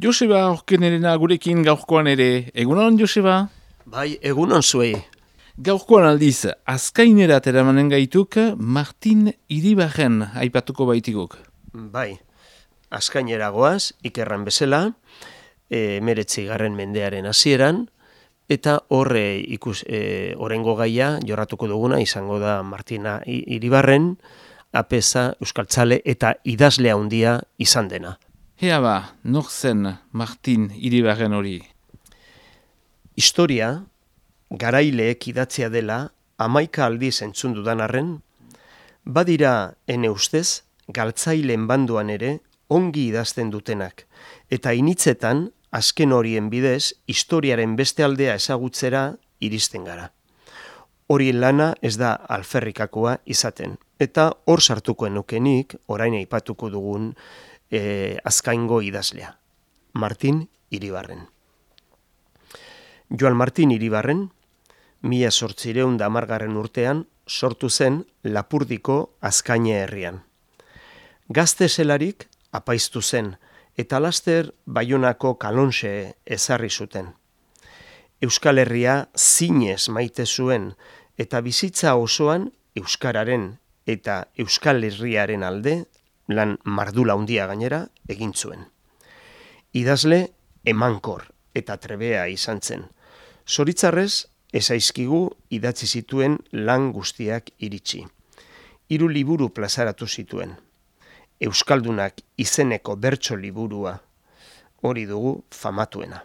Joseba Orkenerena gurekin gaurkoan ere. Egunon, Joseba? Bai, egunon zuei. Gaurkoan aldiz, azkainerat eramanen gaituk Martin Iribarren aipatuko baitiguk. Bai, azkainera goaz, ikerran bezala, 19. mendearen hasieran, eta horrengo gaia jorratuko duguna izango da Martina Iribarren, apeza, euskaltzale eta idazle handia izan dena. Ea ba, nor zen Martin Iribarren hori? Historia, garaileek idatzia dela, 11 aldiz entzun dudan arren, badira ene ustez, galtzaileen banduan ere ongi idazten dutenak, eta initzetan, azken horien bidez, historiaren beste aldea ezagutzera iristen gara. Horien lana ez da alferrikakoa izaten, eta hor sartukoen nukenik, orain aipatuko dugun azkaingo idazlea, Martin Iribarren. Joan Martin Iribarren, 1810 urtean sortu zen Lapurdiko Azkaine herrian. Gazte zelarik apaiztu zen, eta laster Baionako Kalonxe ezarri zuten. Euskal Herria zinez maite zuen, eta bizitza osoan euskararen eta Euskal Herriaren alde, lan mardula handia gainera, egin zuen. Idazle emankor eta trebea izan zen. Zoritzarrez, ezaizkigu idatzi zituen lan guztiak iritsi. 3 liburu plazaratu zituen. Euskaldunak izeneko bertso liburua, hori dugu famatuena.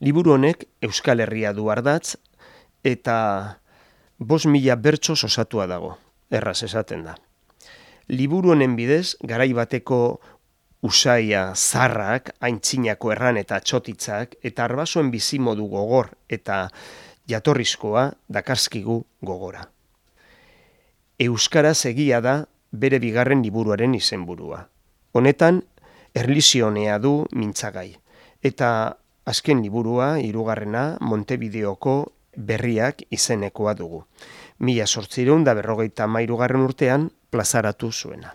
Liburu honek Euskal Herria du ardatz eta 5.000 bertso osatua dago, erraz esaten da. Liburu honen bidez, garai bateko usaia zarrak, aintzinako erran eta txotitzak, eta arbasoen bizimodu gogor eta jatorrizkoa dakarzkigu gogora. Euskaraz egia da bere bigarren liburuaren izenburua. Honetan, erlijionea du mintzagai. Eta azken liburua, 3. Montevideoko berriak izenekoa dugu. 1853 urtean plazaratu zuena.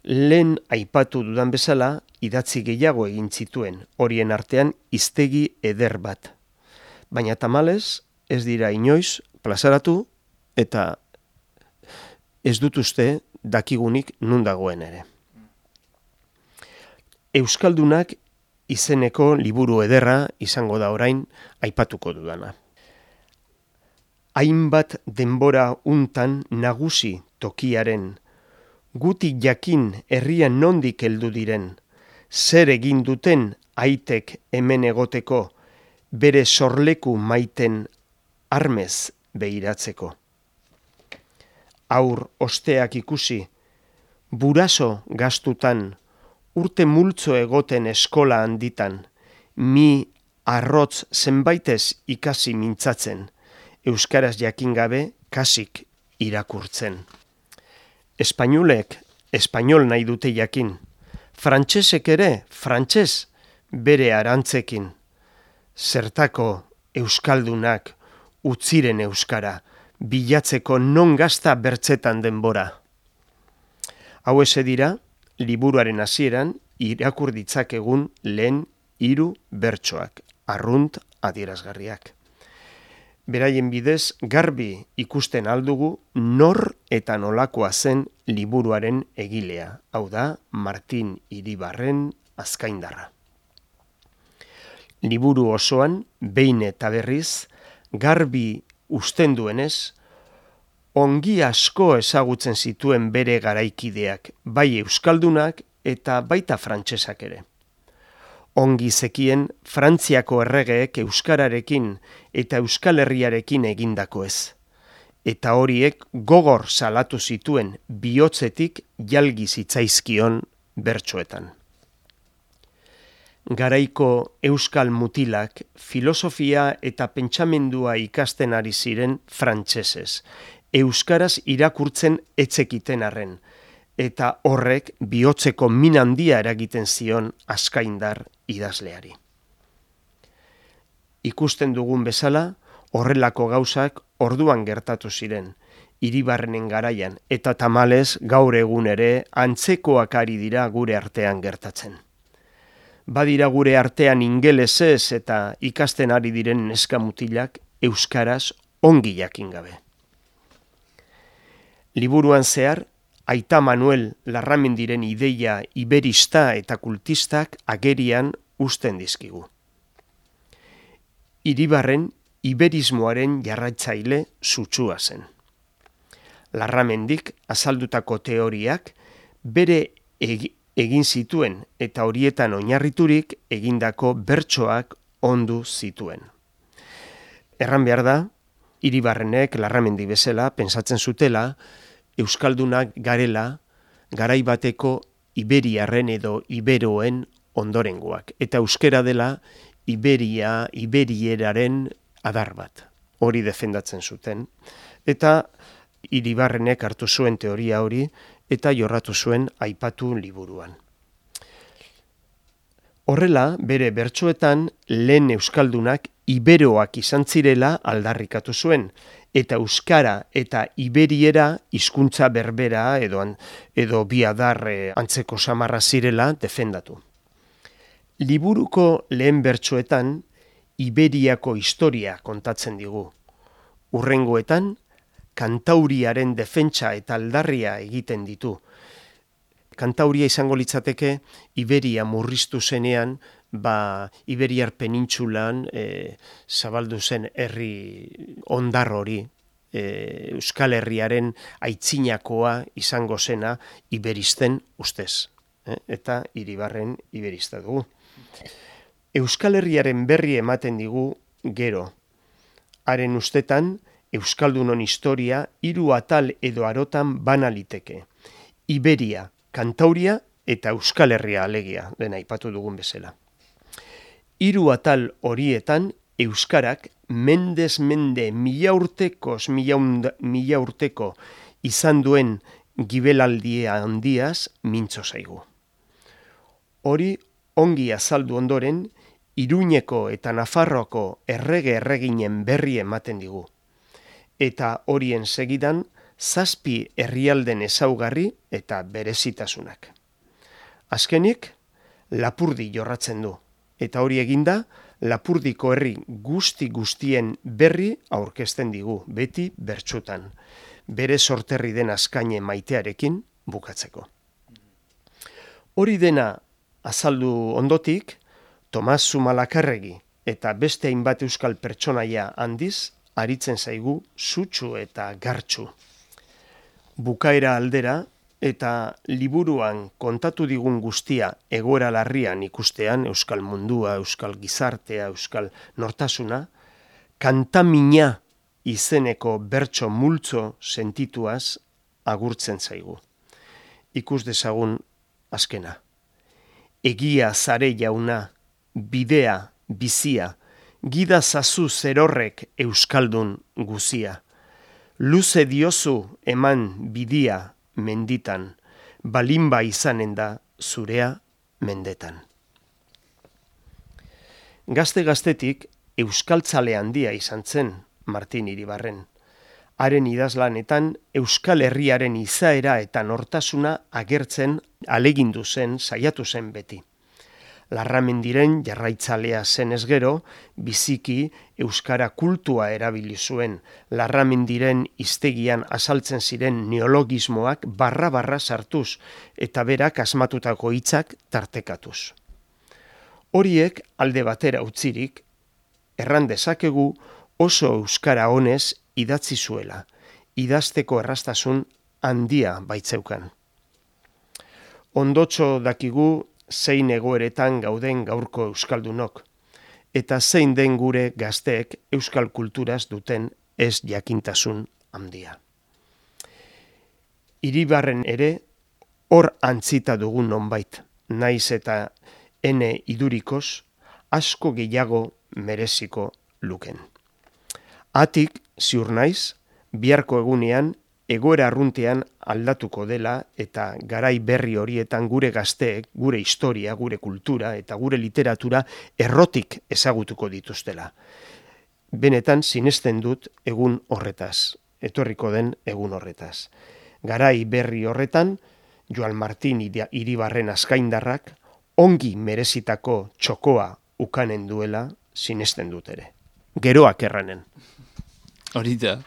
Lehen aipatu dudan bezala, idatzi gehiago egin zituen, horien artean hiztegi eder bat. Baina tamalez, ez dira inoiz plazaratu eta ez dut uste dakigunik nun dagoen ere. Euskaldunak izeneko liburu ederra izango da orain aipatuko dudana. Hainbat denbora untan nagusi tokiaren, gutik jakin herrian nondik heldu diren, zer egin duten aitek hemen egoteko, bere sorleku maiten armez behiratzeko. Aur osteak ikusi, buraso gaztutan, urte multzo egoten eskola handitan, mi arrotz zenbaitez ikasi mintzatzen, euskaraz jakin gabe kasik irakurtzen. Espainolek espainol nahi dute jakin, frantsesek ere frantses bere arantzekin. Zertako euskaldunak utziren euskara, bilatzeko non gazta bertzetan denbora. Hau eze dira, liburuaren hasieran irakur ditzakegun lehen 3 bertsoak, arrunt adierazgarriak. Beraien bidez garbi ikusten aldugu nor eta nolakoa zen liburuaren egilea, hau da Martin Iribarren azkaindarra. Liburu osoan, behin eta berriz, garbi usten duenez, ongi asko ezagutzen zituen bere garaikideak, bai euskaldunak eta baita frantsesak ere. Ongi zekien Frantziako erregeek euskararekin eta Euskal Herriarekin egindako ez. Eta horiek gogor salatu zituen bihotzetik jalgi zitzaizkion bertsoetan. Garaiko euskal mutilak filosofia eta pentsamendua ikasten ari ziren frantsesez, euskaraz irakurtzen etzekiten arren, eta horrek bihotzeko min handia eragiten zion azkaindar idazleari. Ikusten dugun bezala, horrelako gauzak orduan gertatu ziren, Iribarrenen garaian, eta tamalez gaur egun ere antzekoak ari dira gure artean gertatzen. badira gure artean ingelesez eta ikasten ari diren neska mutilak euskaraz ongi jakin gabe. Liburuan zehar, Aita Manuel Larramendiren ideia iberista eta kultistak agerian uzten dizkigu. Iribarren iberismoaren jarraitzaile sutsua zen. Larramendik azaldutako teoriak bere egin zituen eta horietan oinarriturik egindako bertsoak ondu zituen. Erran behar da, Iribarrenek Larramendi bezala pentsatzen zutela euskaldunak garela garai bateko iberiarren edo iberoen ondorengoak. Eta euskera dela iberieraren adar bat. Hori defendatzen zuten. Eta Iribarrenek hartu zuen teoria hori eta jorratu zuen aipatu liburuan. Horrela, bere bertsoetan lehen euskaldunak iberoak izan zirela aldarrikatu zuen, eta euskara eta iberiera hizkuntza berbera edo bi adar antzeko samarra zirela defendatu. Liburuko lehen bertsoetan Iberiako historia kontatzen digu. Hurrengoetan, kantauriaren defentsa eta aldarria egiten ditu. Kantauria izango litzateke Iberia murriztu zenean, Iberiar penintsulan zabaldu zen herri ondar hori, Euskal Herriaren aitzinakoa izango zena iberisten ustez. Eta Iribarren iberista dugu. Euskal Herriaren berri ematen digu gero. Haren ustetan, Euskaldunon historia 3 atal edo arotan bana liteke. Iberia, Kantauria eta Euskal Herria alegia, lehen aipatu dugun bezala. 3 atal horietan euskarak mendez mende mila urteko izan duen gibelaldia handiaz mintzo zaigu. Hori ongi azaldu ondoren, Iruñeko eta Nafarroako erreginen berri ematen digu. Eta horien segidan, 7 herrialden ezaugarri eta berezitasunak. Azkenik, Lapurdi jorratzen du. Eta hori eginda, Lapurdiko herri guztien berri aurkezten digu, beti bertsutan. Bere sorterri den Azkaine maitearekin bukatzeko. Hori dena azaldu ondotik, Tomas Zumalakarregi eta beste hainbat euskal pertsonaia handiz, aritzen zaigu sutsu eta gartsu. Bukaera aldera eta liburuan kontatu digun guztia egoera larrian ikustean, euskal mundua, euskal gizartea, euskal nortasuna, kantamina izeneko bertso multzo sentituaz agurtzen zaigu. Ikus dezagun azkena. Egia zare jauna, bidea, bizia, gida zazu zerorrek euskaldun guzia. Luze diozu eman bidia menditan, balinba izanen da zurea mendetan. Gazte-gaztetik euskaltzale handia izan zen Martin Iribarren. Haren idazlanetan Euskal Herriaren izaera eta nortasuna agertzen alegindu zen, saiatu zen beti. Larramendiren jarraitzalea zenez gero, biziki euskara kultua erabili zuen. Larramendiren hiztegian azaltzen ziren neologismoak barra sartuz eta berak asmatutako hitzak tartekatuz. Horiek alde batera utzirik, erran dezakegu oso euskara honez idatzi zuela, idazteko erraztasun handia baitzeukan. Ondotxo dakigu zein egoeretan gauden gaurko euskaldunok, eta zein den gure gazteek euskal kulturaz duten ez jakintasun handia. Iribarren ere hor antzita dugun nonbait, naiz eta ene idurikoz asko gehiago mereziko luken. Atik, ziur naiz, biharko egunean egoera arruntean aldatuko dela eta garai berri horietan gure gazteek, gure historia, gure kultura eta gure literatura errotik ezagutuko dituztela. Benetan sinesten dut egun horretaz, etorriko den egun horretaz. Garai berri horretan, Joan Martin Iribarren azkaindarrak ongi merezitako txokoa ukanen duela sinesten dut ere. Geroak erranen. Hori da.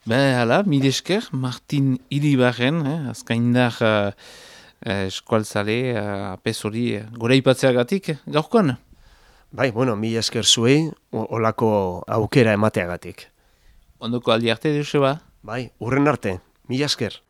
Hala, mil esker, Martin Iribarren, azkaindar eskualtzale, apez hori, gora ipatzeagatik, gaurkoan? Bai, mil esker zuei, olako aukera emateagatik. Ondoko aldi arte, Joseba? Bai, urren arte, mil esker.